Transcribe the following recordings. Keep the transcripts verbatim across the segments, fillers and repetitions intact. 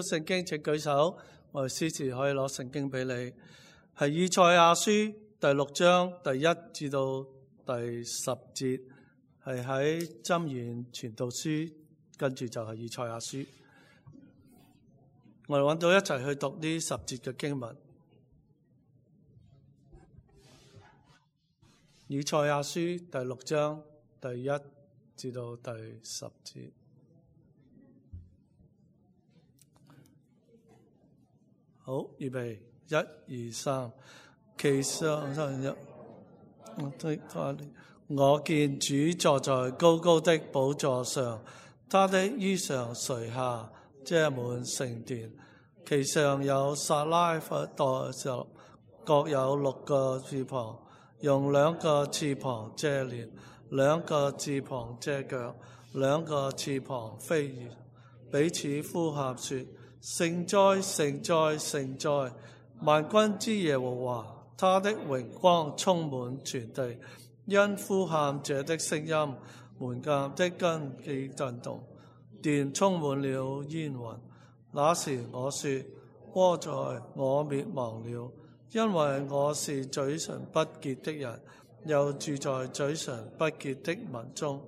聖經請舉手，我哋詩詞可以攞聖經俾你。係以賽亞書第六章第一至到第十節，係喺箴言傳道書，跟住就係以賽亞書。我哋揾到一齊去讀呢十節嘅經文。以賽亞書第六章第一至到第十節。好，預備，一、二、三。其上一，我見主坐在高高的寶座上，他的衣裳垂下，遮滿聖殿。其上有撒拉弗代十，各有六個翅膀，用兩個翅膀遮臉，兩個翅膀遮腳，兩個翅膀飛越，彼此呼喊說：聖哉，聖哉，聖哉！萬軍之耶和華，他的榮光充滿全地。因呼喊者的聲音，門檻的根基震動，殿充滿了煙雲。那時我說：禍哉，我滅亡了，因為我是嘴唇不潔的人，又住在嘴唇不潔的民中。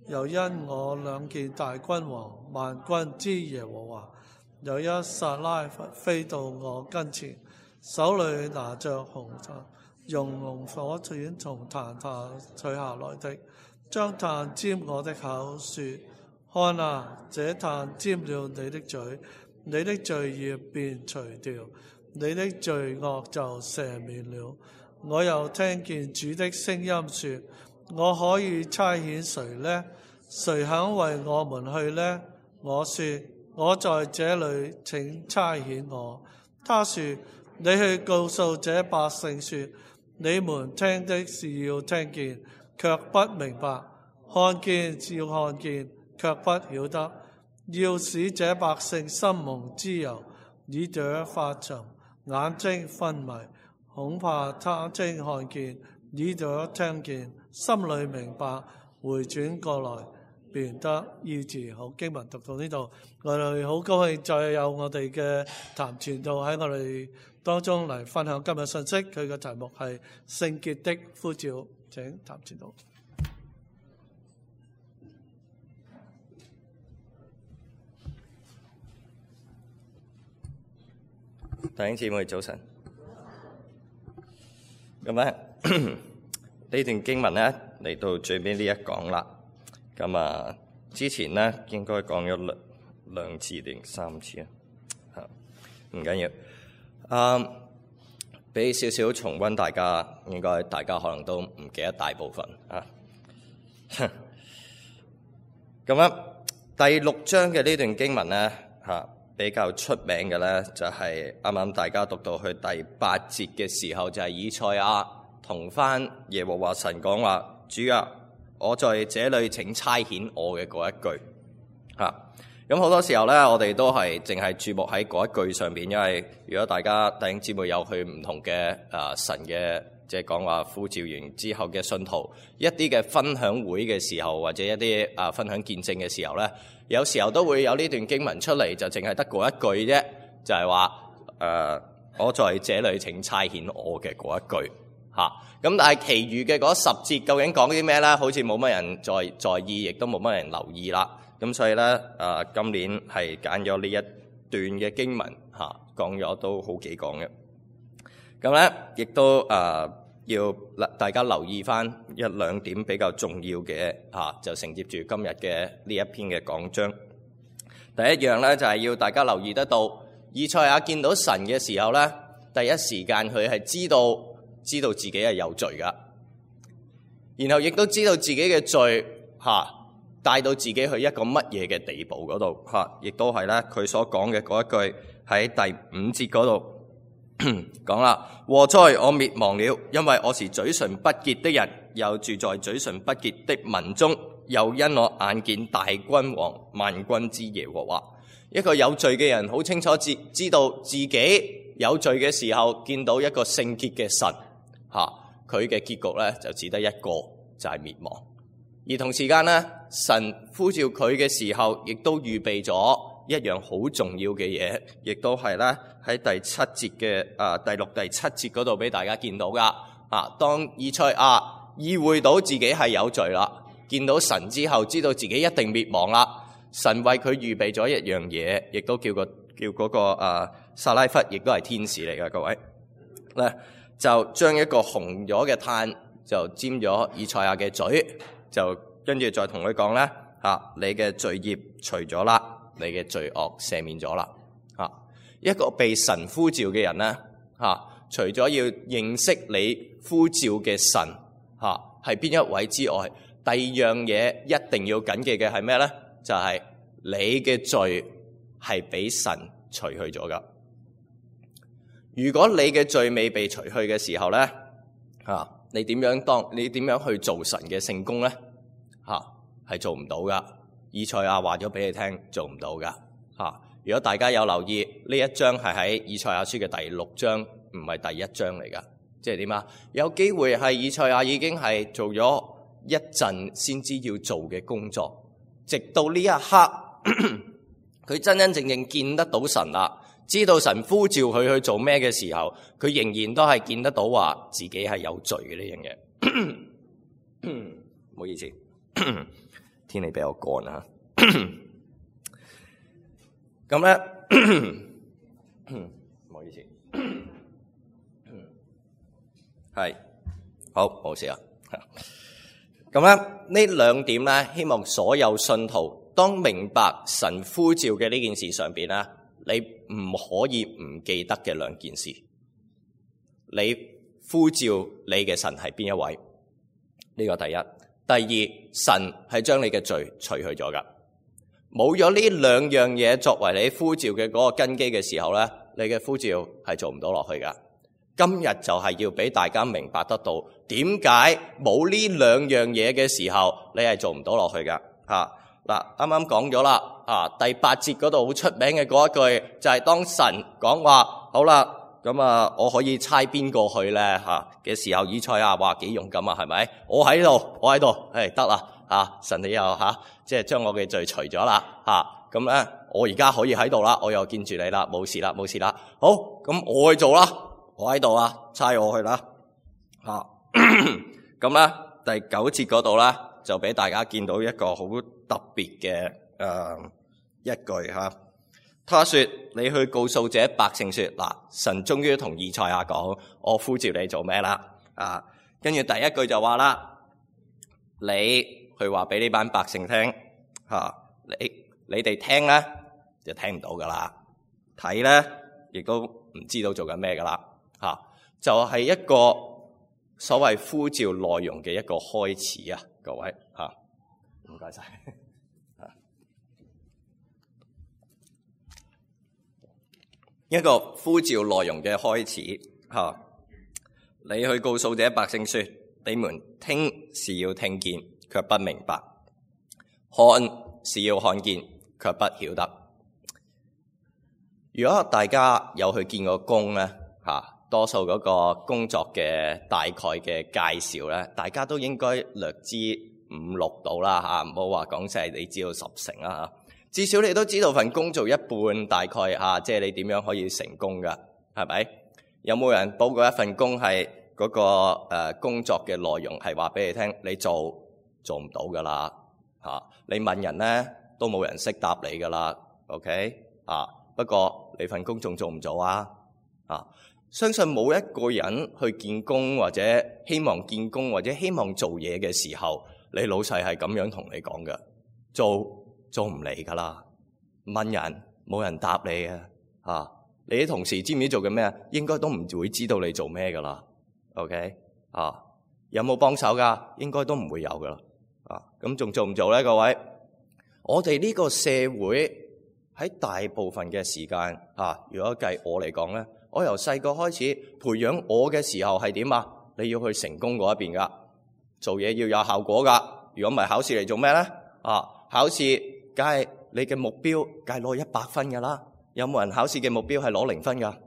又因我兩見大君王萬軍之耶和華，有一撒拉弗飛到我跟前，手裏拿着紅炭，用紅火剪從壇下取下來的，將炭沾我的口，說：看啊，這炭沾了你的嘴，你的罪孽便除掉，你的罪惡就赦免了。我又聽見主的聲音說：我可以差遣誰呢？誰肯為我們去呢？我說：我在這裏，請差遣我。他說：你去告訴這百姓說，你們聽的是要聽見，卻不明白；看見是要看見，卻不曉得。要使這百姓心蒙脂油，耳朵發沉，眼睛昏迷，恐怕他睛看見，耳朵聽見，心裏明白，回轉過來，便得醫治。好，經文讀到呢度，我哋好高興再有我哋嘅譚傳道喺我哋當中嚟分享今日信息。佢嘅題目係聖潔的呼召，請譚傳道。弟兄姊妹早晨。咁咧呢段經文咧嚟到最尾呢一講啦。咁啊，之前咧應該講咗兩兩次定三次啊，嚇唔緊要。啊，俾少少重溫，大家應該大家可能都唔記得大部分啊。咁咧第六章嘅呢段經文咧嚇比較出名嘅咧，就係啱啱大家讀到去第八節嘅時候，就係以賽亞同翻耶和華神講話：主啊，我在這裏，請差遣我嘅嗰一句嚇。咁好多時候咧，我哋都係淨係注目喺嗰一句上邊，因為如果大家弟兄姊妹有去唔同嘅啊神嘅即係講話呼召完之後嘅信徒一啲嘅分享會嘅時候，或者一啲啊分享見證嘅時候咧，有時候都會有呢段經文出嚟，就淨係得嗰一句啫，就係話誒我在這裏，請差遣我嘅嗰一句嚇。咁但係其餘嘅嗰十節究竟講啲咩咧？好似冇乜人在在意，亦都冇乜人留意啦。咁所以咧，誒、呃、今年係揀咗呢一段嘅經文嚇、啊，講咗都好幾講嘅。咁咧，亦都誒、呃、要大家留意翻一兩點比較重要嘅嚇、啊，就承接住今日嘅呢一篇嘅講章。第一樣咧就係、是、要大家留意得到，以賽亞見到神嘅時候咧，第一時間佢係知道知道自己係有罪噶，然後亦都知道自己嘅罪嚇。啊帶到自己去一個乜嘢嘅地步嗰度嚇，亦都係咧佢所講嘅嗰一句喺第五節嗰度講啦：禍哉，我滅亡了，因為我是嘴唇不潔的人，又住在嘴唇不潔的民中，又因我眼見大君王萬軍之耶和華。一個有罪嘅人好清楚知知道自己有罪嘅時候，見到一個聖潔嘅神嚇，佢嘅結局咧就只得一個，就係滅亡。而同時間咧，神呼召佢嘅時候，亦都預備咗一樣好重要嘅嘢，亦都係咧喺第七節嘅啊第六、第七節嗰度俾大家見到噶。啊，當以賽亞意會到自己係有罪啦，見到神之後，知道自己一定滅亡啦，神為佢預備咗一樣嘢，亦都叫個叫嗰個啊撒拉弗，亦都係天使嚟嘅，各位咧就將一個紅咗嘅炭就沾咗以賽亞嘅嘴，就跟住再同佢講咧嚇，你嘅罪孽除咗啦，你嘅罪惡赦免咗啦嚇。一個被神呼召嘅人咧嚇，除咗要認識你呼召嘅神嚇係邊一位之外，第二樣嘢一定要謹記嘅係咩咧？就係、是、你嘅罪係俾神除去咗噶。如果你嘅罪未被除去嘅時候咧嚇，你點樣當你點樣去做神嘅聖工咧嚇？係做唔到噶。以賽亞話咗俾你聽，做唔到噶嚇。如果大家有留意呢一章係喺以賽亞書嘅第六章，唔係第一章嚟噶。即係點啊？有機會係以賽亞已經係做咗一陣先知要做嘅工作，直到呢一刻佢真真正正見得到神啦，知道神呼召佢去做咩嘅時候，佢仍然都係見得到話自己係有罪嘅呢樣嘢。唔好意思，天氣比較乾啊。咁咧，唔好意思。係好冇事啊！咁咧呢兩點咧，希望所有信徒當明白神呼召嘅呢件事上邊咧，你唔可以唔記得嘅兩件事。你呼召你嘅神係邊一位？呢個第一。第二，神係將你嘅罪除去咗噶。冇咗呢兩樣嘢作為你呼召嘅嗰個根基嘅時候咧，你嘅呼召係做唔到落去噶。今日就係要俾大家明白得到點解冇呢兩樣嘢嘅時候，你係做唔到落去噶嚇。嗱，啱啱講咗啦，啊第八節嗰度好出名嘅嗰一句就係、是、當神講話好啦，咁啊我可以差邊個去咧嚇嘅時候，以賽亞話幾勇敢啊，係咪？我喺度，我喺度，誒得啦嚇，神你又嚇即係將我嘅罪除咗啦嚇，咁咧我而家可以喺度啦，我又見住你啦，冇事啦，冇事啦，好，咁我去做啦。我喺度啊，差我去啦，吓咁咧第九節嗰度咧就俾大家見到一個好特別嘅誒一句吓，他說你去告訴這百姓說，嗱，神終於同以賽亞講，我呼召你做咩啦？啊，跟住第一句就話啦，你去話俾呢班百姓聽吓，你你哋聽咧就聽唔到噶啦，睇咧亦都唔知道做緊咩噶啦。吓、啊，就係、是、一個所謂呼召內容嘅一個開始啊，各位吓，唔該晒。一個呼召內容嘅開始吓、啊，你去告訴這百姓說，你們聽是要聽見，卻不明白；看是要看見，卻不曉得。如果大家有去見過工咧吓。啊多數嗰個工作嘅大概嘅介紹咧，大家都應該略知五六到啦嚇，唔好話講晒你知道十成啦嚇。至少你都知道份工做一半，大概嚇，即係你點樣可以成功噶，係咪？有冇人報過一份工係嗰個誒工作嘅內容係話俾你聽，你做做唔到噶啦嚇？你問人咧都冇人識答你噶啦 ，OK 啊？不過你份工仲做唔做啊？啊？相信冇一個人去見工或者希望見工或者希望做嘢嘅時候，你老細係咁樣同你講嘅，做做唔嚟噶啦。問人冇人答你嘅，啊，你啲同事知唔知做緊咩啊？應該都唔會知道你做咩噶啦。OK 啊，有冇幫手噶？應該都唔會有噶啦。啊，咁仲做唔做咧？各位，我哋呢個社會喺大部分嘅時間啊，如果計我嚟講咧。我由細個開始培養我嘅時候係點啊？你要去成功嗰一邊噶，做嘢要有效果噶。如果唔係考試嚟做咩咧？啊，考試梗係你嘅目標梗係攞一百分噶啦。有冇人考試嘅目標係攞零分噶？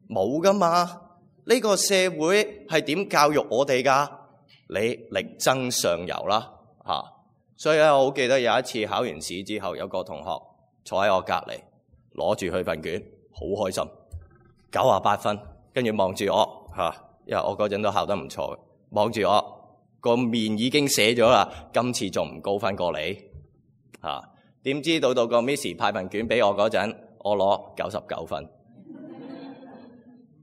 冇噶嘛。呢個社會係點教育我哋噶？你力爭上游啦，吓。所以咧，我好記得有一次考完試之後，有個同學坐喺我隔籬，攞住佢份卷，好開心，九啊八分，跟住望住我嚇，因為我嗰陣都考得唔錯嘅，望住我個面已經寫咗啦，今次仲唔高分過你嚇？點知到到個 Miss 派份卷俾我嗰陣，我攞九十九分，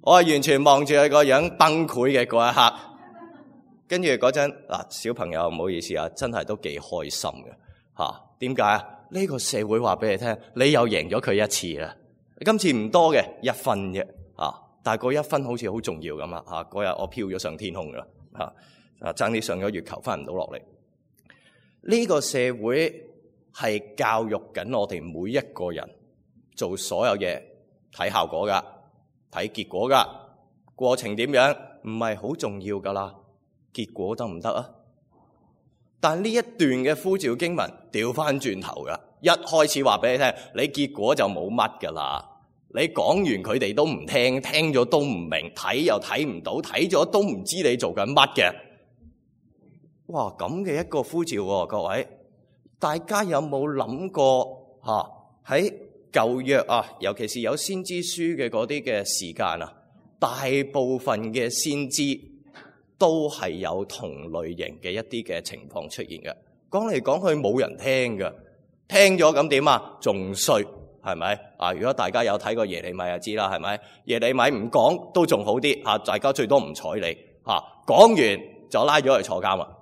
我係完全望住佢個樣崩潰嘅嗰一刻。跟住嗰陣嗱，小朋友唔好意思啊，真係都幾開心嘅嚇。點解啊？呢個社會話俾你聽，你又贏咗佢一次啦。今次唔多嘅一分啫啊，但係嗰一分好似好重要咁啊嚇。嗰日我飄咗上天空噶啦嚇啊，爭啲上咗月球翻唔到落嚟。呢個社會係教育緊我哋每一個人做所有嘢睇效果噶，睇結果噶，過程點樣唔係好重要噶啦。結果得唔得啊？但呢一段嘅呼召經文調翻轉頭噶，一開始話俾你聽，你結果就冇乜噶啦。你講完佢哋都唔聽，聽咗都唔明，睇又睇唔到，睇咗都唔知你做緊乜嘅。哇，咁嘅一個呼召喎，各位，大家有冇諗過吓？喺舊約啊，尤其是有先知書嘅嗰啲嘅時間啊，大部分嘅先知都係有同類型嘅一啲嘅情況出現嘅，講嚟講去冇人聽嘅，聽咗咁點啊？仲衰係咪啊？如果大家有睇過耶利米就知啦，係咪？耶利米唔講都仲好啲啊，大家最多唔睬你啊，講完就拉咗去坐監啦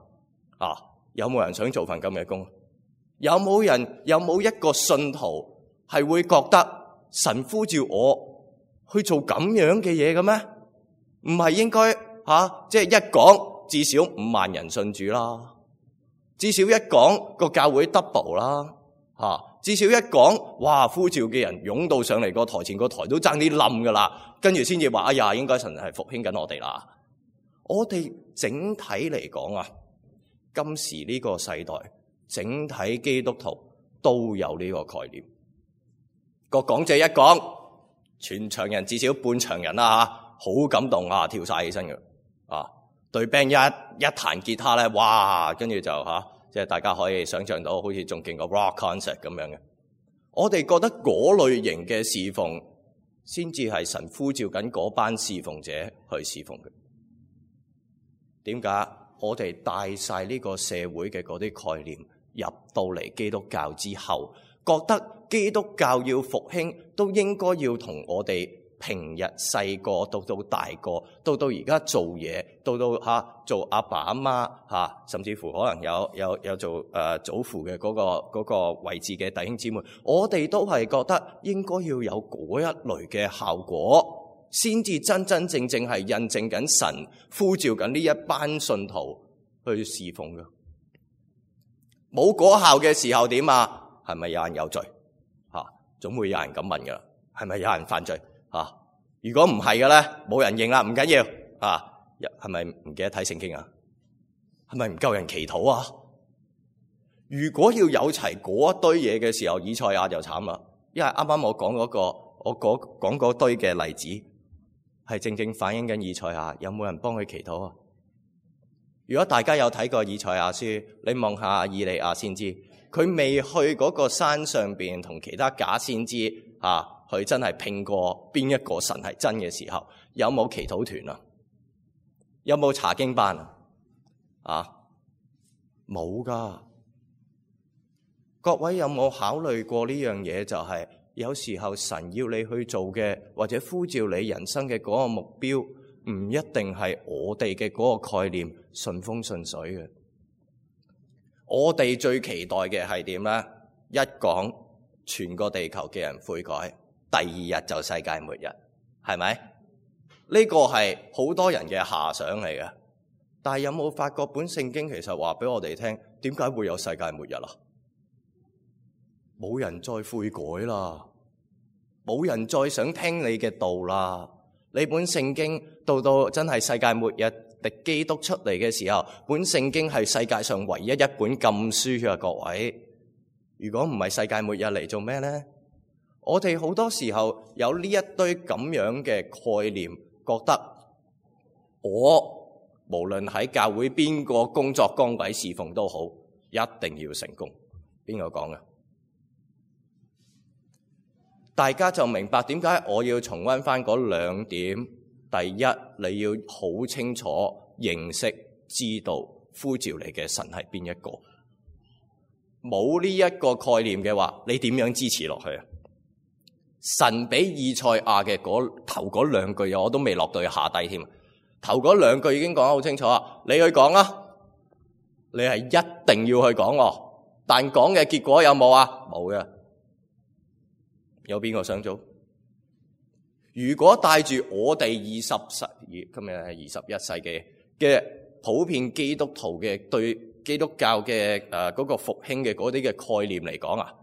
啊！有冇人想做份咁嘅工？有冇人有冇一個信徒係會覺得神呼召我去做咁樣嘅嘢嘅咩？唔係應該？吓、啊，即係一講至少五萬人信主啦，至少一講個教會 double 啦，吓、啊，至少一講，哇，呼召嘅人湧到上嚟個台前，個台都爭啲冧噶啦，跟住先至話，哎呀，應該神係復興緊我哋啦。我哋整體嚟講啊，今時呢個世代，整體基督徒都有呢個概念。個講者一講，全場人至少半場人啦吓，好感動啊，跳晒起身嘅。啊，對 band 一一彈吉他咧，哇，跟住就吓、啊，即係大家可以想象到，好似仲勁過 rock concert 咁樣嘅。我哋覺得嗰類型嘅侍奉，先至係神呼召緊嗰班侍奉者去侍奉嘅。點解？我哋帶晒呢個社會嘅嗰啲概念入到嚟基督教之後，覺得基督教要復興，都應該要同我哋平日細個到到大個，到到而家做嘢，到到吓、啊、做阿爸阿媽吓，甚至乎可能有有有做誒、呃、祖父嘅嗰、嗰個、嗰個位置嘅弟兄姊妹，我哋都係覺得應該要有嗰一類嘅效果，先至真真正正係印證緊神呼召緊呢一班信徒去侍奉嘅。冇果效嘅時候點啊？係咪有人有罪吓？總會有人咁問噶啦，係咪有人犯罪？啊！如果唔係嘅咧，冇人認啦，唔緊要啊！係咪唔記得睇聖經啊？係咪唔夠人祈禱啊？如果要有齊嗰一堆嘢嘅時候，以賽亞就慘啦，因為啱啱我講嗰個，我講講嗰堆嘅例子，係正正反映緊以賽亞有冇人幫佢祈禱啊？如果大家有睇過以賽亞書，你望下以利亞先知，佢未去嗰個山上邊同其他假先知啊。佢真係拼過邊一個神係真嘅時候，有冇祈禱團啊？有冇查經班啊？啊，冇噶。各位有冇考慮過呢樣嘢？就係有時候神要你去做嘅，或者呼召你人生嘅嗰個目標，唔一定係我哋嘅嗰個概念順風順水嘅。我哋最期待嘅係點咧？一講全個地球嘅人悔改。第二日就世界末日，係咪？呢個係好多人嘅遐想嚟嘅。但係有冇發覺本聖經其實話俾我哋聽，點解會有世界末日啊？冇人再悔改啦，冇人再想聽你嘅道啦。你本聖經到到真係世界末日，敵基督出嚟嘅時候，本聖經係世界上唯一一本禁書啊！各位，如果唔係世界末日嚟做咩咧？我哋好多時候有呢一堆咁樣嘅概念，覺得我無論喺教會邊個工作崗位侍奉都好，一定要成功。邊個講嘅？大家就明白點解我要重溫翻嗰兩點。第一，你要好清楚認識、知道呼召你嘅神係邊一個。冇呢一個概念嘅話，你點樣支持落去啊？神俾以賽亞嘅嗰頭嗰兩句，我都未落到去下低添。頭嗰兩句已經講得好清楚啊！你去講啊，你係一定要去講，但講嘅結果有冇啊？冇嘅。有邊個想做？如果帶住我哋二十世，今日係二十一世紀嘅普遍基督徒嘅對基督教嘅誒嗰個復興嘅嗰啲嘅概念嚟講啊，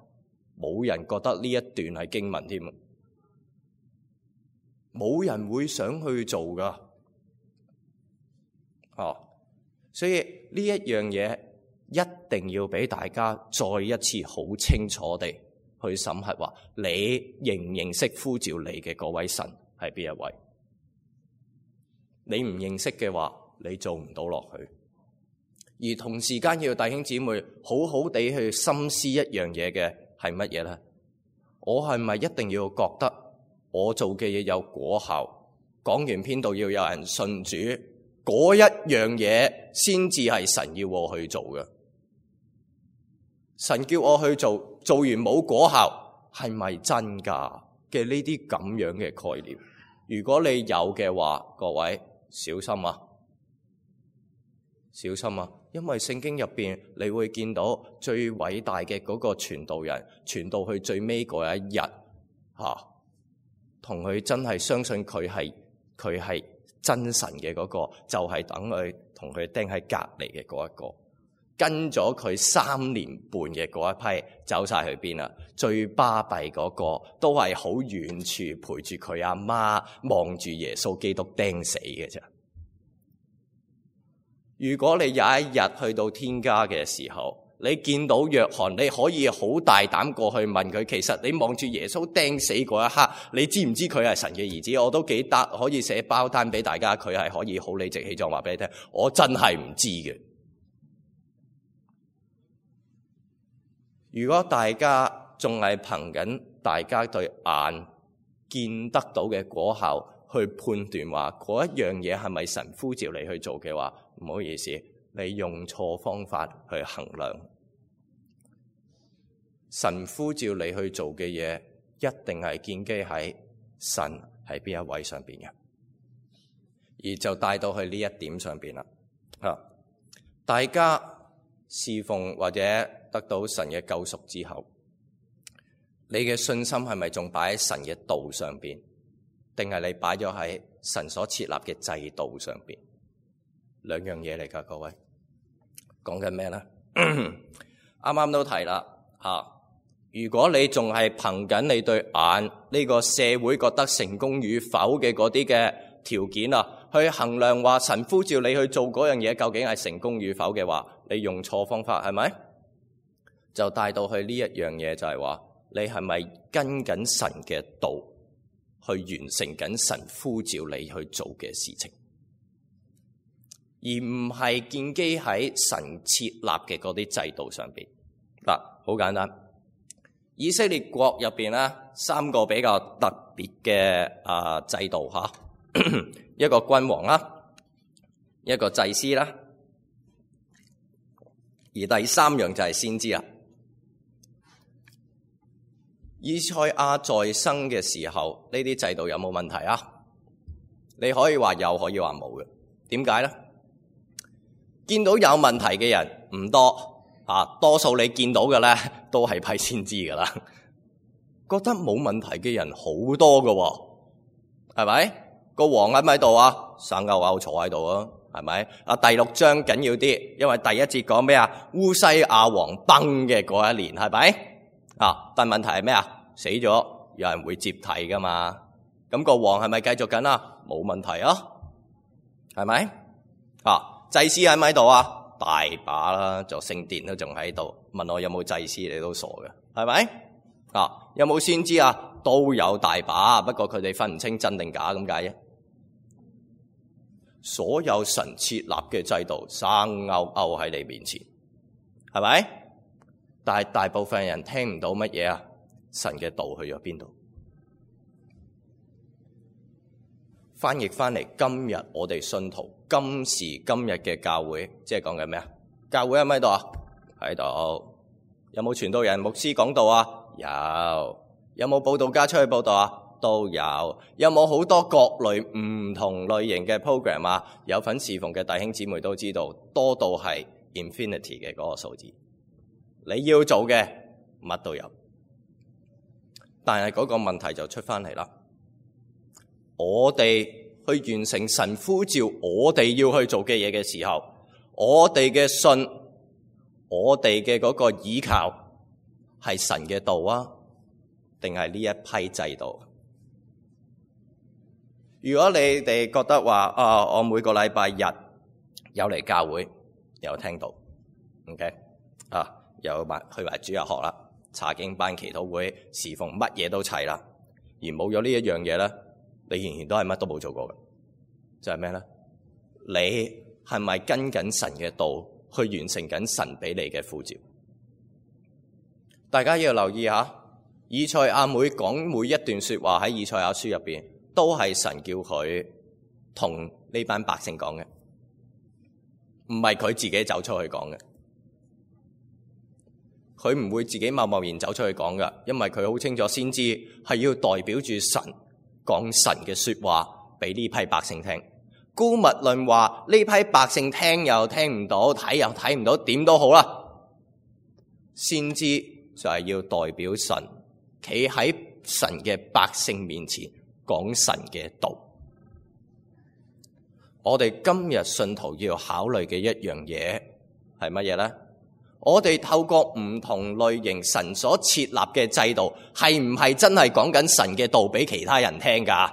冇人覺得呢一段係經文添，冇人會想去做噶。哦，所以呢一樣嘢一定要俾大家再一次好清楚地去審核，話你認唔認識呼召你嘅嗰位神係邊一位？你唔認識嘅話，你做唔到落去。而同時間要弟兄姊妹好好地去深思一樣嘢嘅係乜嘢咧？我係咪一定要覺得我做嘅嘢有果效？講完篇道要有人信主，嗰一樣嘢先至係神要我去做嘅。神叫我去做，做完冇果效，係咪真㗎嘅呢啲咁樣嘅概念？如果你有嘅話，各位小心啊，小心啊！因為聖經入邊你會見到最偉大嘅嗰個傳道人，傳到去最尾嗰一日，吓同佢真係相信佢係佢係真神嘅嗰個，就係等佢同佢釘喺隔離嘅嗰一個。跟咗佢三年半嘅嗰一批走晒去邊啦？最巴閉嗰個都係好遠處陪住佢阿媽，望住耶穌基督釘死嘅啫。如果你有一日去到天家嘅時候，你見到約翰，你可以好大膽過去問佢，其實你望住耶穌釘死嗰一刻，你知唔知佢係神嘅兒子？我都幾得可以寫包單俾大家，佢係可以好理直氣壯話俾你聽，我真係唔知嘅。如果大家仲係憑緊大家對眼見得到嘅果效去判斷話嗰一樣嘢係咪神呼召你去做嘅話，唔好意思，你用錯方法去衡量。神呼召你去做嘅嘢，一定係建基喺神係邊一位上邊嘅，而就帶到去呢一點上邊啦。啊，大家侍奉或者得到神嘅救贖之後，你嘅信心係咪仲擺喺神嘅道上邊，定係你擺咗喺神所設立嘅制度上邊？兩樣嘢嚟噶，各位講緊咩咧？啱啱都提啦吓，如果你仲係憑緊你對眼呢、這個社會覺得成功與否嘅嗰啲嘅條件啊，去衡量話神呼召你去做嗰樣嘢究竟係成功與否嘅話，你用錯方法係咪？就帶到去呢一樣嘢，就係話你係咪跟緊神嘅道去完成緊神呼召你去做嘅事情，而唔係建基喺神設立嘅嗰啲制度上邊。嗱，好簡單，以色列國入邊咧，三個比較特別嘅啊制度吓，一個君王啦，一個祭司啦，而第三樣就係先知啦。以賽亞在生嘅時候，呢啲制度有冇問題啊？你可以話有，可以話冇嘅。點解咧？見到有問題嘅人唔多啊，多數你見到嘅咧都係批先知噶啦。覺得冇問題嘅人好多噶，係咪？個王喺咪度啊？生勾勾坐喺度啊，係咪？啊，第六章緊要啲，因為第一節講咩啊？烏西亞王崩嘅嗰一年，係咪？啊，但問題係咩啊？死咗，有人會接替噶嘛？咁個王係咪繼續緊啊？冇問題啊，係咪？啊，祭司喺咪度啊？大把啦，就聖殿都仲喺度。問我有冇祭司，你都傻嘅，係咪？啊，有冇先知啊？都有大把，不過佢哋分唔清真定假咁解啫。所有神設立嘅制度生勾勾喺你面前，係咪？但係大部分人聽唔到乜嘢啊？神嘅道去咗邊度？翻譯翻嚟，今日我哋信徒今時今日嘅教會，即係講緊咩啊？教會喺咪度啊？喺度。有冇傳道人、牧師講道啊？有。有冇佈道家出去佈道啊？都有。有冇好多各類唔同類型嘅 program 啊？有份侍奉嘅弟兄姊妹都知道，多到係 infinity 嘅嗰個數字。你要做嘅乜都有，但係嗰個問題就出翻嚟啦。我哋去完成神呼召我哋要去做嘅嘢嘅時候，我哋嘅信，我哋嘅嗰個倚靠係神嘅道啊，定係呢一批制度？如果你哋覺得話啊，我每個禮拜日有嚟教會，有聽到 OK 啊，有埋去埋主日學啦，查經班、祈禱會、侍奉，乜嘢都齊啦，而冇咗呢一樣嘢咧，你仍然都係乜都冇做過嘅，就係咩咧？你係咪跟緊神嘅道去完成緊神俾你嘅呼召？大家要留意下，以賽亞每講每一段說話喺以賽亞書入邊，都係神叫佢同呢班百姓講嘅，唔係佢自己走出去講嘅。佢唔會自己貿貿然走出去講噶，因為佢好清楚先知係要代表住神講神嘅說話俾呢批百姓聽。姑勿論話呢批百姓聽又聽唔到，睇又睇唔到，點都好啦。先知就係要代表神，企喺神嘅百姓面前講神嘅道。我哋今日信徒要考慮嘅一樣嘢係乜嘢呢？我哋透過唔同類型神所設立嘅制度，係唔係真係講緊神嘅道俾其他人聽噶？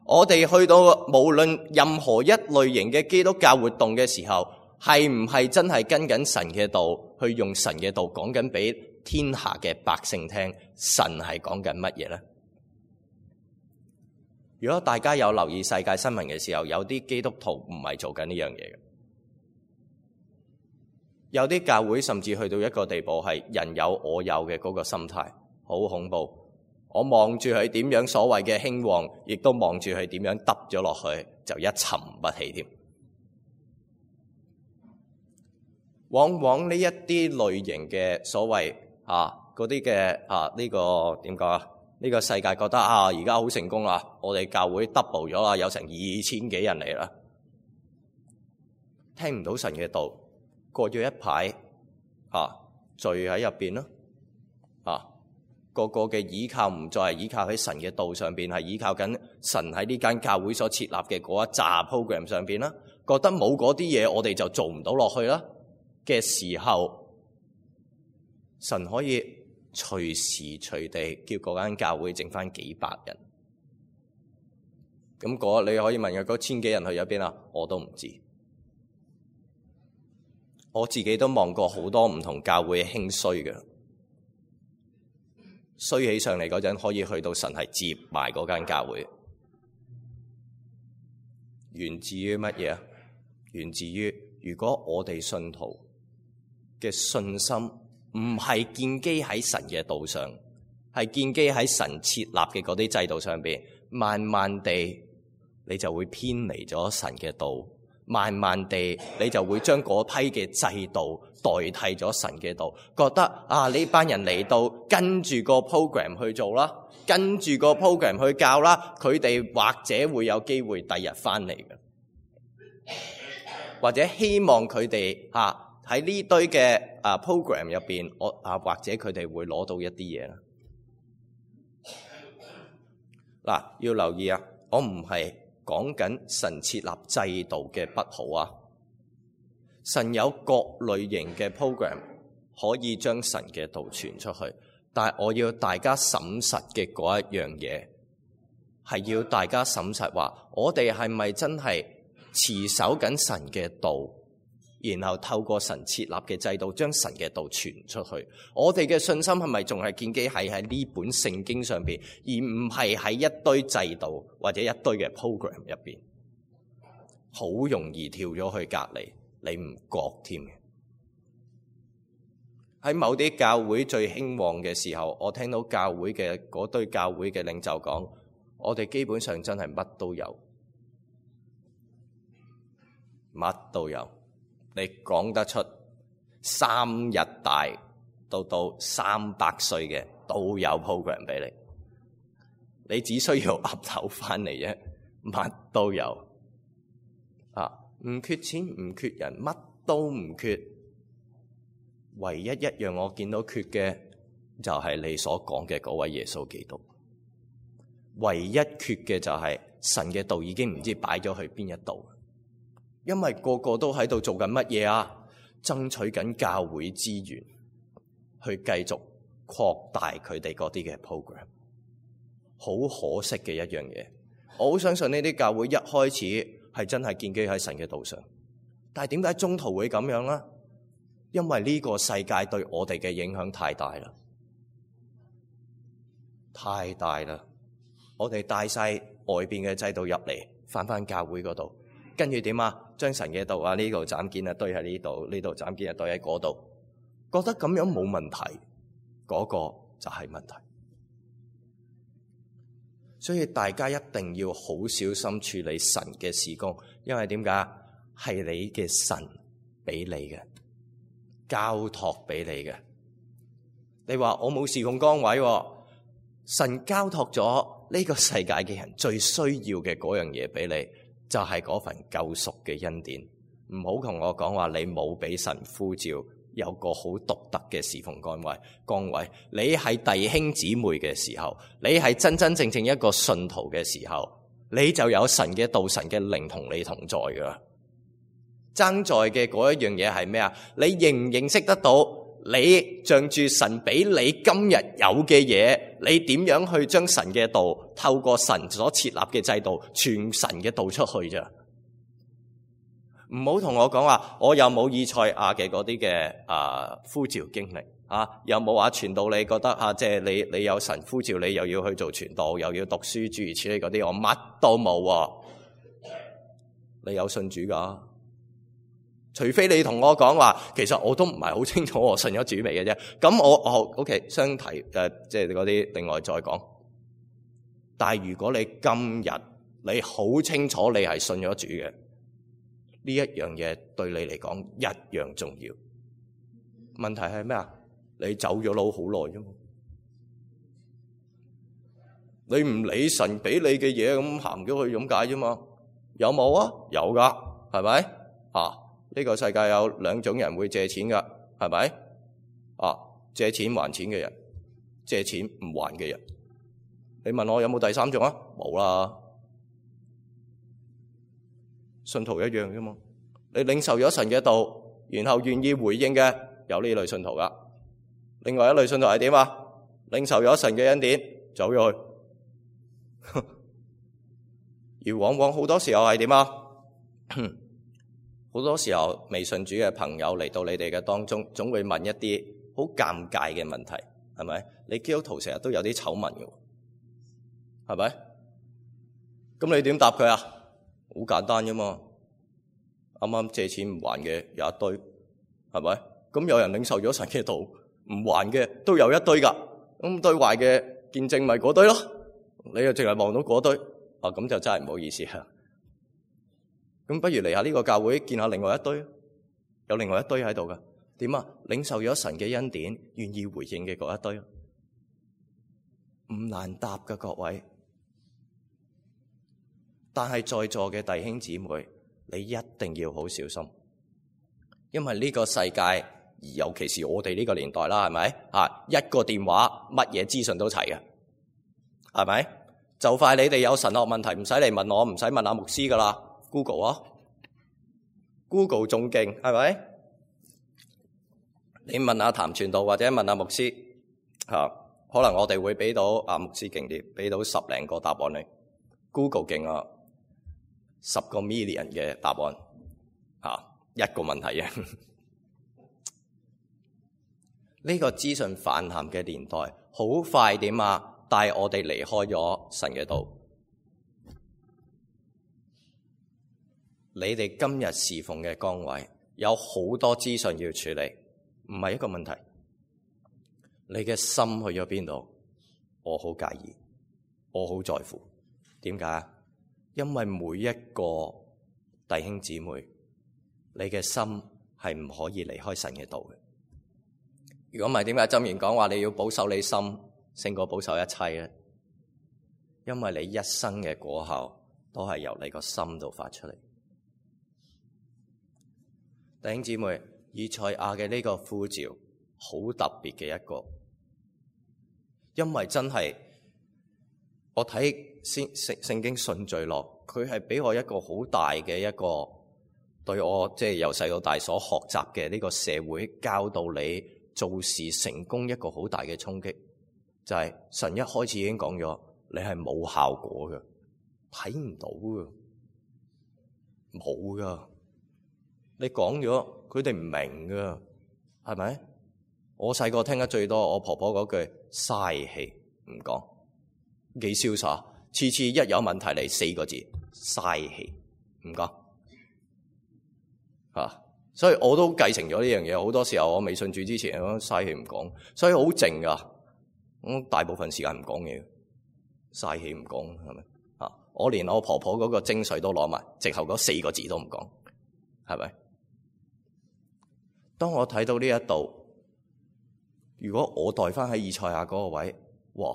我哋去到無論任何一類型嘅基督教活動嘅時候，係唔係真係跟緊神嘅道，去用神嘅道講緊俾天下嘅百姓聽？神係講緊乜嘢呢？如果大家有留意世界新聞嘅時候，有啲基督徒唔係做緊呢樣嘢嘅。有啲教會甚至去到一個地步係人有我有嘅嗰個心態，好恐怖。我望住佢點樣所謂嘅興旺，亦都望住佢點樣耷咗落去，就一沉不起添。往往呢一啲類型嘅所謂啊嗰啲嘅啊呢個點講啊？呢個世界覺得啊而家好成功啦，我哋教會 double 咗啦，有成二千幾人嚟啦，聽唔到神嘅道。過咗一排，啊，罪喺入邊咯，啊，個個嘅倚靠唔再係倚靠喺神嘅道上邊，係倚靠緊神喺呢間教會所設立嘅嗰一紮 program 上邊啦。覺得冇嗰啲嘢，我哋就做唔到落去啦嘅時候，神可以隨時隨地叫嗰間教會剩翻幾百人。咁嗰你可以問嘅嗰千幾人去咗邊啊？我都唔知。我自己都望過好多唔同教會興衰嘅，衰起上嚟嗰陣可以去到神係接埋嗰間教會。源自於乜嘢啊？源自於如果我哋信徒嘅信心唔係建基喺神嘅道上，係建基喺神設立嘅嗰啲制度上邊，慢慢地你就會偏離咗神嘅道。慢慢地，你就會將嗰批嘅制度代替咗神嘅道，覺得啊呢班人嚟到跟住個 program 去做啦，跟住個 program 去教啦，佢哋或者會有機會第日翻嚟嘅，或者希望佢哋啊喺呢堆嘅啊 program 入邊，我啊或者佢哋會攞到一啲嘢啦。嗱，要留意啊，我唔係講緊神設立制度嘅不好啊，神有各類型嘅 program 可以將神嘅道傳出去，但係我要大家審實嘅嗰一樣嘢，係要大家審實話，我哋係咪真係持守緊神嘅道，然後透過神設立嘅制度將神嘅道傳出去？我哋嘅信心係咪仲係建基係喺呢本聖經上邊，而唔係喺一堆制度或者一堆嘅 program 入邊？好容易跳咗去隔離，你唔覺添嘅。喺某啲教會最興旺嘅時候，我聽到教會嘅嗰堆教會嘅領袖講：我哋基本上真係乜都有，乜都有。你講得出三日大到到三百歲嘅都有 program 俾你，你只需要岌頭翻嚟啫，乜都有啊！唔缺錢，唔缺人，乜都唔缺。唯一一樣我見到缺嘅就係你所講嘅嗰位耶穌基督。唯一缺嘅就係神嘅道已經唔知擺咗去邊一度，因為個個都喺度做緊乜嘢啊？爭取緊教會資源，去繼續擴大佢哋嗰啲嘅 program。好可惜嘅一樣嘢，我好相信呢啲教會一開始係真係建基喺神嘅道上，但係點解中途會咁樣呢？因為呢個世界對我哋嘅影響太大啦，太大啦！我哋帶晒外邊嘅制度入嚟，返返教會嗰度，跟住點啊？將神嘅道啊，呢度斬件啊堆喺呢度，呢度斬件啊堆喺嗰度，覺得咁樣冇問題，嗰個就係問題。所以大家一定要好小心處理神嘅事工，因為點解？係你嘅神俾你嘅，交託俾你嘅。你話我冇事奉崗位，神交託咗呢個世界嘅人最需要嘅嗰樣嘢俾你，就係嗰份救贖嘅恩典。唔好同我講話你冇俾神呼召，有個好獨特嘅侍奉崗位。崗位，你係弟兄姊妹嘅時候，你係真真正正一個信徒嘅時候，你就有神嘅道、神嘅靈同你同在噶。爭在嘅嗰一樣嘢係咩啊？你認唔認識得到？你仗住神俾你今日有嘅嘢，你點樣去將神嘅道透過神所設立嘅制度傳神嘅道出去咋？唔好同我講話，我有冇以賽亞嘅嗰啲嘅啊呼召經歷啊？有冇話傳道你覺得啊？即係你你有神呼召你，又要去做傳道，又要讀書諸如此類嗰啲，我乜都冇啊！你有信主噶？除非你同我講話，其實我都唔係好清楚我信咗主未嘅啫。咁我我 OK 相提誒，即係嗰啲另外再講。但係如果你今日你好清楚你係信咗主嘅，呢一樣嘢對你嚟講一樣重要。問題係咩啊？你走咗佬好耐啫嘛，你唔理神俾你嘅嘢咁行咗去咁解啫嘛？有冇啊？有噶，係咪啊？呢個世界有兩種人會借錢噶，係咪？啊，借錢還錢嘅人，借錢唔還嘅人。你問我有冇第三種啊？冇啦。信徒一樣啫嘛。你領受咗神嘅道，然後願意回應嘅，有呢類信徒噶。另外一類信徒係點啊？領受咗神嘅恩典，走咗去。而往往好多時候係點啊？好多時候未信主嘅朋友嚟到你哋嘅當中，總會問一啲好尷尬嘅問題，係咪？你基督徒成日都有啲醜聞嘅，係咪？咁你點答佢啊？好簡單啫嘛。啱啱借錢唔還嘅有一堆，係咪？咁有人領受咗神嘅道唔還嘅都有一堆噶。咁對壞嘅見證咪嗰堆咯。你又淨係望到嗰堆，啊咁就真係唔好意思啊。咁不如嚟下呢個教會見下另外一堆，有另外一堆喺度噶。點啊？領受咗神嘅恩典，願意回應嘅嗰一堆，唔難答噶各位。但係在座嘅弟兄姊妹，你一定要好小心，因為呢個世界，而尤其是我哋呢個年代啦，係咪啊？一個電話，乜嘢資訊都齊嘅，係咪？就快你哋有神學問題，唔使嚟問我，唔使問阿牧師噶啦。Google 啊 ，Google 仲勁，係咪？你問下譚傳道或者問下牧師，啊，可能我哋會俾到阿牧師勁啲，俾到十零個答案你。Google 勁啊，十個 million 嘅答案，啊，一個問題啫。呢個資訊泛濫嘅年代，好快點啊，帶我哋離開咗神嘅道。你哋今日侍奉嘅崗位有好多資訊要處理，唔係一個問題。你嘅心去咗邊度？我好介意，我好在乎。點解？因為每一個弟兄姊妹，你嘅心係唔可以離開神嘅道嘅。如果唔係，點解箴言講話你要保守你心勝過保守一切咧？因為你一生嘅果效都係由你個心度發出嚟。弟兄姊妹，以賽亞嘅呢個呼召好特別嘅一個，因為真係我睇聖聖經順序落，佢係俾我一個好大嘅一個對我即係由細到大所學習嘅呢個社會教導你做事成功一個好大嘅衝擊，就係、是、神一開始已經講咗，你係冇效果嘅，睇唔到嘅，冇噶。你講咗，佢哋唔明噶，係咪？我細個聽得最多，我婆婆嗰句嘥氣唔講，幾瀟灑，次次一有問題嚟四個字嘥氣唔講，啊！所以我都繼承咗呢樣嘢。好多時候我未信主之前，我嘥氣唔講，所以好靜噶，我大部分時間唔講嘢，嘥氣唔講，係咪？啊！我連我婆婆嗰個精髓都攞埋，直後嗰四個字都唔講，係咪？當我睇到呢一度，如果我代翻喺以賽亞嗰個位，哇！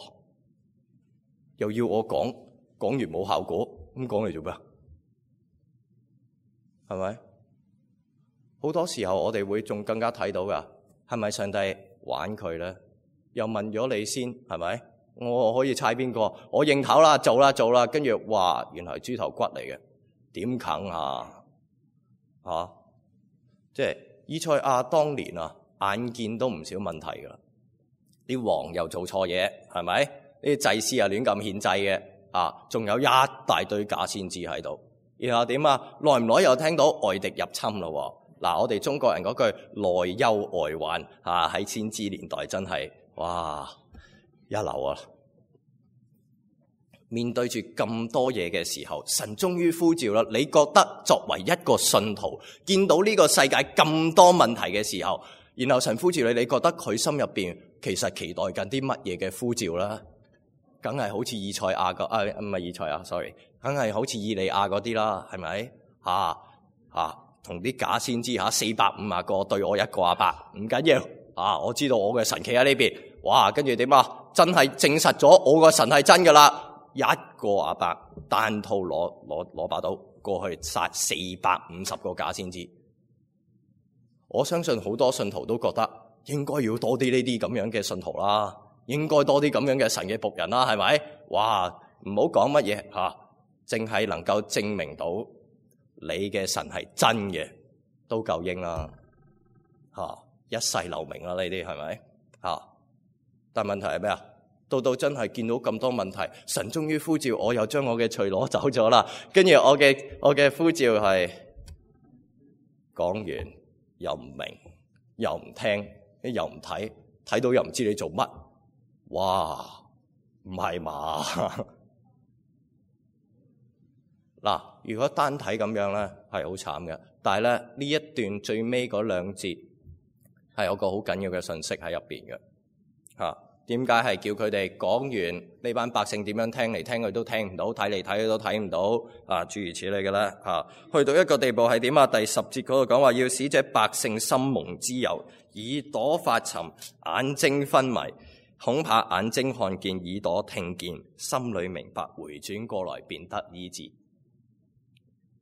又要我講，講完冇效果，咁講嚟做咩？係咪？好多時候我哋會仲更加睇到噶，係咪上帝玩佢咧？又問咗你先，係咪？我可以猜邊個？我認頭啦，做啦做啦，跟住哇，原來係豬頭骨嚟嘅，點啃啊？啊！即係以賽亞當年啊，眼見都唔少問題噶啦，啲王又做錯嘢，係咪？呢啲祭司啊亂咁獻祭嘅，啊，仲有一大堆假先知喺度。然後點啊？耐唔耐又聽到外敵入侵咯。嗱，我哋中國人嗰句內憂外患啊，喺先知年代真係哇一流啊！面對住咁多嘢嘅時候，神終於呼召啦。你覺得作為一個信徒，見到呢個世界咁多問題嘅時候，然後神呼召你，你覺得佢心入邊其實期待緊啲乜嘢嘅呼召啦？梗係好似以賽亞個啊，唔係以賽亞 sorry， 梗係好似以利亞嗰啲啦，係咪？吓吓同啲假先知吓四百五十個對我一個阿伯，唔緊要啊！我知道我嘅神企喺呢邊，哇！跟住點啊？真係證實咗我個神係真噶啦！一個阿伯單套攞攞攞把刀過去殺四百五十個假先知。我相信好多信徒都覺得應該要多啲呢啲咁樣嘅信徒啦，應該多啲咁樣嘅神嘅僕人啦，係咪？哇！唔好講乜嘢吓，淨係能夠證明到你嘅神係真嘅，都夠應啦吓，一世留名啦呢啲係咪吓？但問題係咩啊？到到真係見到咁多問題，神終於呼召我，又將我嘅罪攞走咗啦。跟住我嘅我嘅呼召係講完又唔明，又唔聽，又唔睇，睇到又唔知你做乜。哇，唔係嘛？嗱，如果單睇咁樣咧，係好慘嘅。但係咧呢一段最尾嗰兩節係有個好緊要嘅信息喺入邊嘅吓。點解係叫佢哋講完呢班百姓點樣聽嚟聽去都聽唔到，睇嚟睇去都睇唔到啊？諸如此類嘅啦嚇。去到一個地步係點啊？第十節嗰度講話要使這百姓心蒙脂油，耳朵發沉，眼睛昏迷，恐怕眼睛看見，耳朵聽見，心裏明白，回轉過來便得醫治。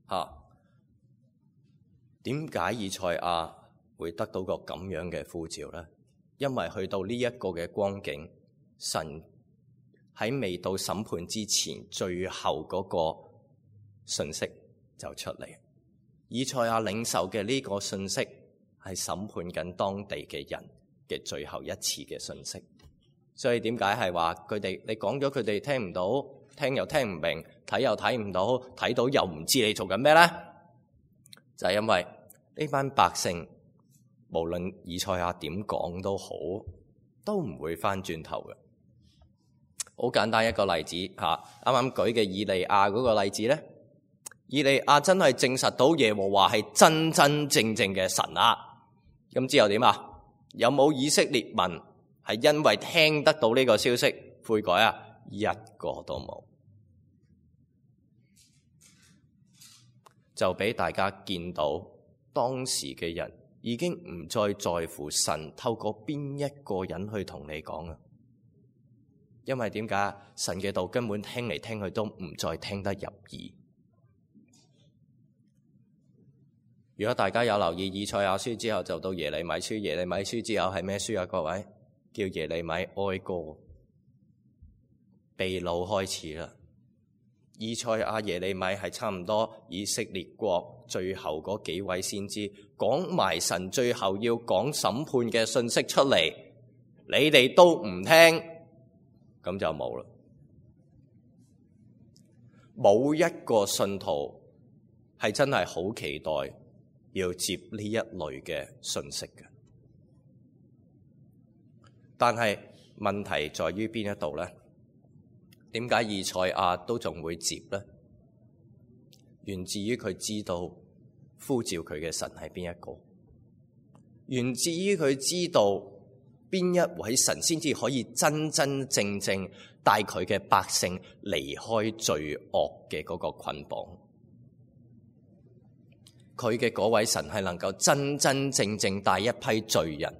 嚇，點解以賽亞會得到個咁樣嘅呼召咧？因為去到呢一個嘅光景，神喺未到審判之前，最後嗰個信息就出嚟。以賽亞領受嘅呢個信息係審判緊當地嘅人嘅最後一次嘅信息。所以點解係話佢哋你講咗佢哋聽唔到，聽又聽唔明，睇又睇唔到，睇到又唔知你做緊咩咧？就係因為呢班百姓，無論以賽亞點講都好，都唔會翻轉頭嘅。好簡單一個例子吓，啱啱舉嘅以利亞嗰個例子咧，以利亞真係證實到耶和華係真真正正嘅神啊！咁之後點啊？有冇以色列民係因為聽得到呢個消息悔改啊？一個都冇。就俾大家見到當時嘅人已經唔再在乎神透過邊一個人去同你講啊。因為點解？神嘅道根本聽嚟聽去都唔再聽得入耳。如果大家有留意以賽亞書之後，就到耶利米書。耶利米書之後係咩書啊？各位，叫耶利米哀歌。被擄開始啦。以賽亞、耶利米係差唔多以色列國最後嗰幾位先知，講埋神最後要講審判嘅信息出嚟，你哋都唔聽。咁就冇啦，冇一個信徒係真係好期待要接呢一類嘅信息嘅。但係問題在於邊一度呢？點解以賽亞都仲會接呢？源自於佢知道呼召佢嘅神係邊一個，源自於佢知道邊一位神先至可以真真正正帶佢嘅百姓離開罪惡嘅嗰個捆綁。佢嘅嗰位神係能夠真真正正帶一批罪人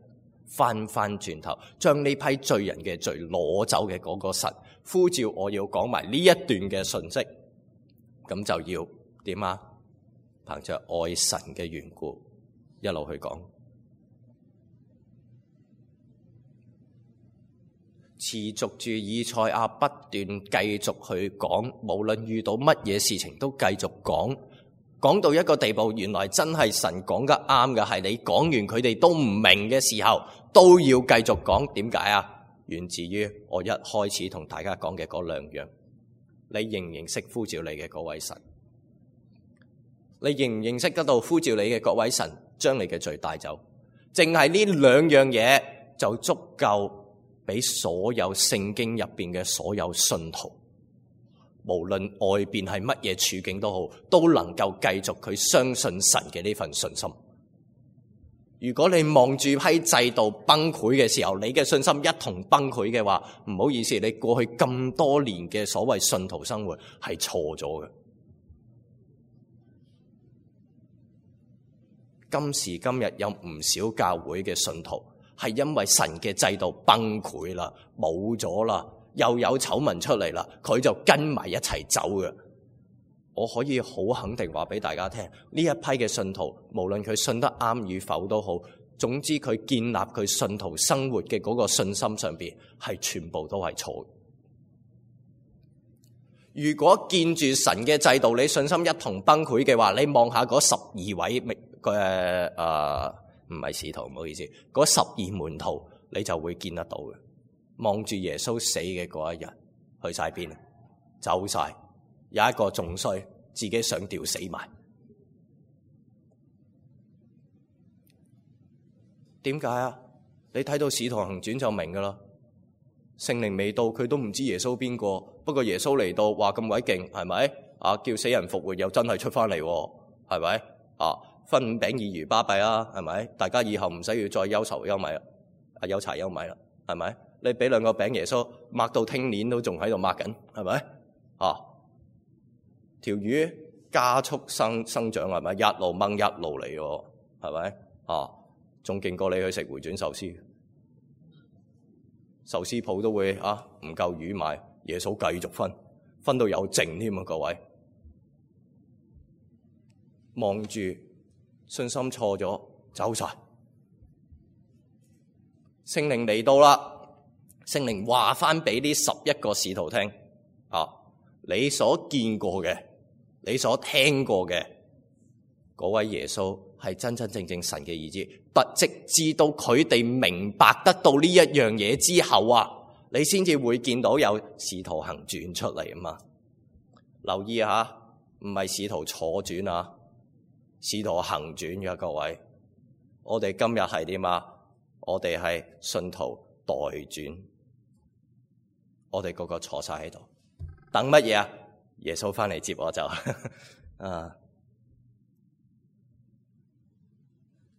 翻翻轉頭，將呢批罪人嘅罪攞走嘅嗰個神，呼召我要講埋呢一段嘅信息，咁就要點啊？憑着愛神嘅緣故，一路去講。持續住以賽亞不斷繼續去講，無論遇到乜嘢事情都繼續講，講到一個地步，原來真係神講得啱嘅，係你講完佢哋都唔明嘅時候，都要繼續講。點解啊？源自於我一開始同大家講嘅嗰兩樣。你認唔認識呼召你嘅嗰位神？你認唔認識得到呼召你嘅嗰位神將你嘅罪帶走？淨係呢兩樣嘢就足夠俾所有聖經入邊嘅所有信徒，無論外邊係乜嘢處境都好，都能夠繼續佢相信神嘅呢份信心。如果你望住批制度崩潰嘅時候，你嘅信心一同崩潰嘅話，唔好意思，你過去咁多年嘅所謂信徒生活係錯咗嘅。今時今日有唔少教會嘅信徒係因為神嘅制度崩潰啦，冇咗啦，又有醜聞出嚟啦，佢就跟埋一齊走嘅。我可以好肯定話俾大家聽，呢一批嘅信徒，無論佢信得啱與否都好，總之佢建立佢信徒生活嘅嗰個信心上邊，係全部都係錯。如果見住神嘅制度，你信心一同崩潰嘅話，你望下嗰十二位嘅誒唔係使徒，唔好意思，嗰十二門徒，你就會見得到嘅。望住耶穌死嘅嗰一日，去晒邊？走晒。有一個仲衰，自己想吊死埋。點解啊？你睇到《使徒行傳》就明噶啦。聖靈未到，佢都唔知耶穌邊個。不過耶穌嚟到，話咁鬼勁，係咪？啊，叫死人復活又真係出翻嚟，係咪？啊，分五餅二魚巴閉啊，係咪？大家以後唔使要再憂愁憂米啦，啊憂柴憂米啦，係咪？你俾兩個餅耶穌，擘到聽年都仲喺度擘緊，係咪？啊！條魚加速生生長，係咪？一路掹一路嚟喎，係咪？啊，仲勁過你去食回轉壽司，壽司鋪都會啊唔夠魚買，耶穌繼續分，分到有剩添啊！各位望住信心錯咗，走晒。聖靈嚟到啦，聖靈話翻俾呢十一個使徒聽啊，你所見過嘅。你所聽過嘅嗰位耶穌係真真正正神嘅兒子，不直至到佢哋明白得到呢一樣嘢之後啊，你先至會見到有使徒行傳出嚟啊嘛。留意下，唔係使徒坐傳啊，使徒行傳嘅各位，我哋今日係點啊？我哋係信徒代傳，我哋個個坐晒喺度，等乜嘢啊？耶穌翻嚟接我就啊！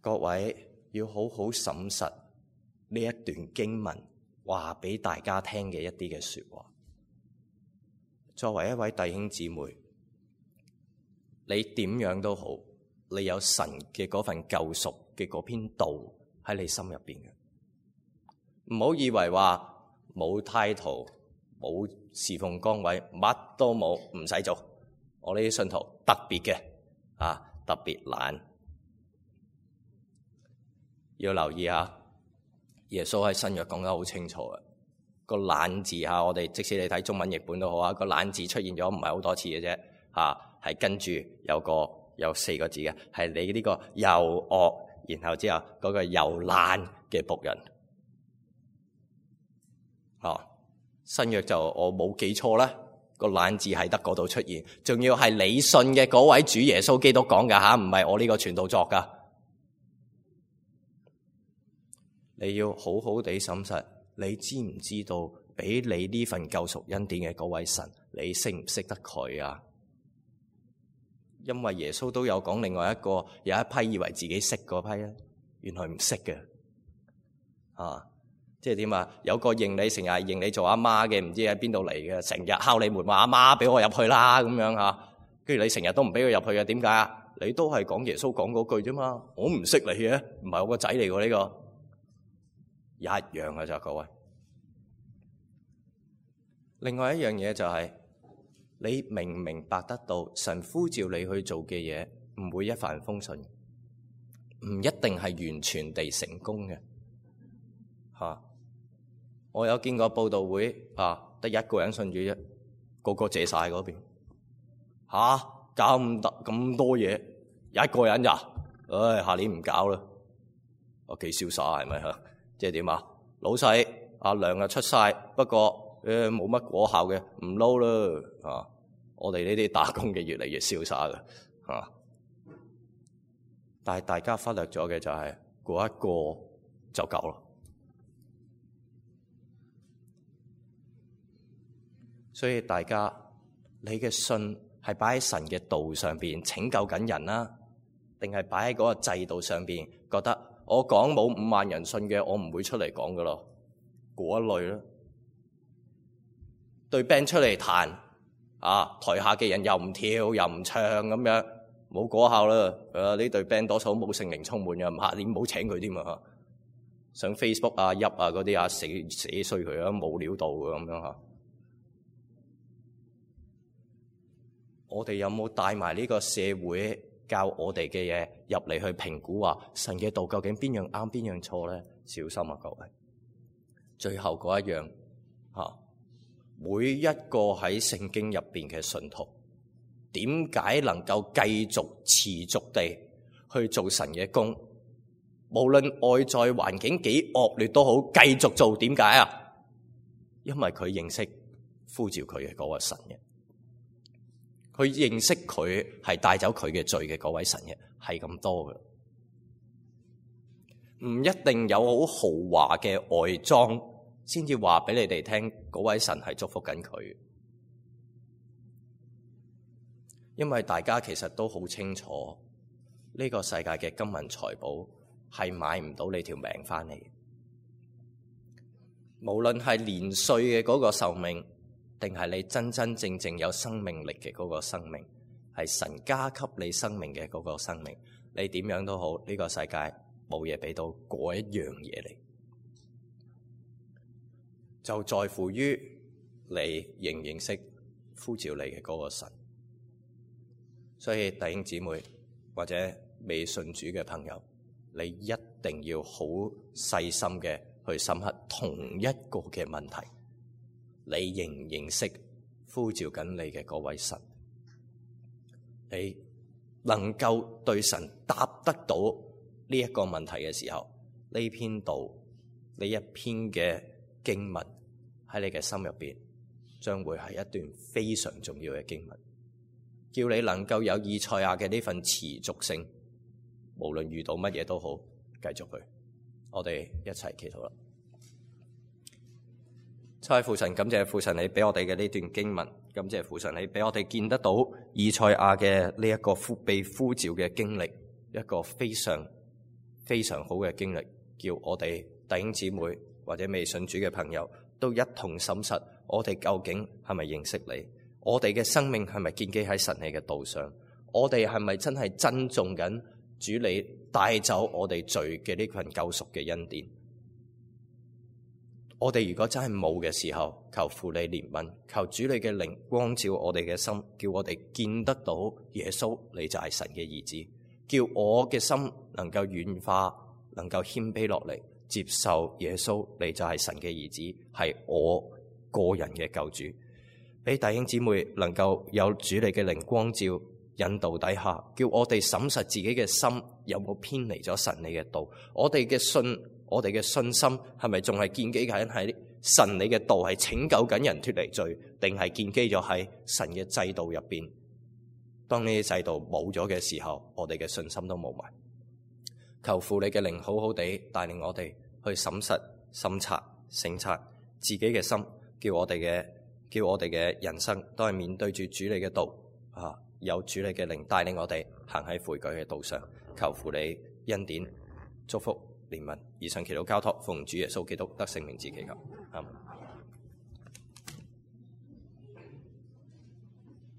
各位要好好審實呢一段經文話俾大家聽嘅一啲嘅說話。作為一位弟兄姊妹，你點樣都好，你有神嘅嗰份救贖嘅嗰篇道喺你心入邊嘅。唔好以為話冇title、冇侍奉崗位，乜都冇，唔使做。我呢啲信徒特別嘅啊，特別懶。要留意下，耶穌喺新約講得好清楚嘅。個懶字嚇，我哋即使你睇中文譯本都好啊，個懶字出現咗唔係好多次嘅啫嚇，係跟住有個有四個字嘅，係你呢個又惡，然後之後嗰個又懶嘅僕人。哦，新約就我冇記錯啦，個懶字係得嗰度出現，仲要係你信嘅嗰位主耶穌基督講噶吓，唔係我呢個傳道作噶。你要好好地審實。你知唔知道俾你呢份救贖恩典嘅嗰位神，你識唔識得佢啊？因為耶穌都有講另外一個，有一批以為自己識嗰批咧，原來唔識嘅。啊，即係點啊？有個認你成日認你做阿媽嘅，唔知喺邊度嚟嘅，成日敲你門話阿媽俾我入去啦咁樣吓，跟住你成日都唔俾佢入去嘅，點解啊？你都係講耶穌講嗰句啫嘛，我唔識你嘅，唔係我個仔嚟嘅呢個。一樣嘅咋各位。另外一樣嘢就係、是、你明唔明白得到神呼召你去做嘅嘢唔會一帆風順，唔一定係完全地成功嘅吓、啊。我有見過佈道會啊，得一個人信主啫，個個借晒嗰邊吓，搞咁得咁多嘢，一個人咋？唉、哎，下年唔搞啦。我幾瀟灑係咪吓？即係點啊？老細阿糧啊出晒，不過誒冇乜果效嘅，唔撈啦啊！我哋呢啲打工嘅越嚟越瀟灑嘅啊，但係大家忽略咗嘅就係、是、嗰一個就夠啦。所以大家你嘅信係擺喺神嘅道上邊拯救緊人啦，定係擺喺嗰個制度上邊覺得？我講冇五萬人信嘅，我唔會出嚟講噶咯，嗰一類啦。對 band 出嚟彈，啊台下嘅人又唔跳又唔唱咁樣，冇果效啦。誒呢隊 band 多數冇聖靈充滿嘅，唔嚇你唔好請佢添啊！上 Facebook 啊、入啊嗰啲啊，死死衰佢啊，冇料到嘅咁樣嚇。我哋有冇帶埋呢個社會？教我哋嘅嘢入嚟去評估話神嘅道究竟邊樣啱邊樣錯咧？小心啊各位！最後嗰一樣吓，每一個喺聖經入邊嘅信徒，點解能夠繼續持續地去做神嘅工？無論外在環境幾惡劣都好，繼續做。點解啊？因為佢認識呼召佢嘅嗰個神嘅。佢認識佢係帶走佢嘅罪嘅嗰位神嘅，係咁多嘅，唔一定有好豪華嘅外裝先至話俾你哋聽，嗰位神係祝福緊佢。因為大家其實都好清楚，呢個世界嘅金銀財寶係買唔到你條命翻嚟。無論係年歲嘅嗰個壽命，定係你真真正正有生命力嘅嗰個生命，係神加給你生命嘅嗰個生命，你點樣都好，呢個世界冇嘢俾到嗰一樣嘢嚟，就在乎於你認唔認識呼召你嘅嗰個神。所以弟兄姊妹或者未信主嘅朋友，你一定要好細心嘅去深刻同一個嘅問題。你認唔認識呼召緊你嘅嗰位神？你能夠對神答得到呢一個問題嘅時候，呢篇道呢一篇嘅經文喺你嘅心入邊，將會係一段非常重要嘅經文，叫你能夠有以賽亞嘅呢份持續性，無論遇到乜嘢都好，繼續去。我哋一齊祈禱啦。親愛父神，感謝父神你俾我哋嘅呢段經文，感謝父神你俾我哋見得到以賽亞嘅呢一個呼被呼召嘅經歷，一個非常非常好嘅經歷，叫我哋弟兄姊妹或者未信主嘅朋友都一同審實，我哋究竟係咪認識你？我哋嘅生命係咪建基喺神你嘅道上？我哋係咪真係珍重緊主你帶走我哋罪嘅呢份救贖嘅恩典？我哋如果真係冇嘅時候，求父你憐憫，求主你嘅靈光照我哋嘅心，叫我哋見得到耶穌你就係神嘅兒子，叫我嘅心能夠軟化，能夠謙卑落嚟，接受耶穌你就係神嘅兒子，係我個人嘅救主。俾弟兄姊妹能夠有主你嘅靈光照引導底下，叫我哋審實自己嘅心有冇偏離咗神你嘅道，我哋嘅信我哋嘅信心係咪仲係建基緊喺神你嘅道，係拯救緊人脫離罪，定係建基咗喺神嘅制度入邊？當呢啲制度冇咗嘅時候，我哋嘅信心都冇埋。求父你嘅靈好好地帶領我哋去審實、審察、省察自己嘅心，叫我哋嘅叫我哋嘅人生都係面對住主你嘅道啊！有主你嘅靈帶領我哋行喺悔改嘅道上。求父你恩典、祝福、憐憫，以上祈禱交託，奉主耶穌基督得聖名之祈求。阿們。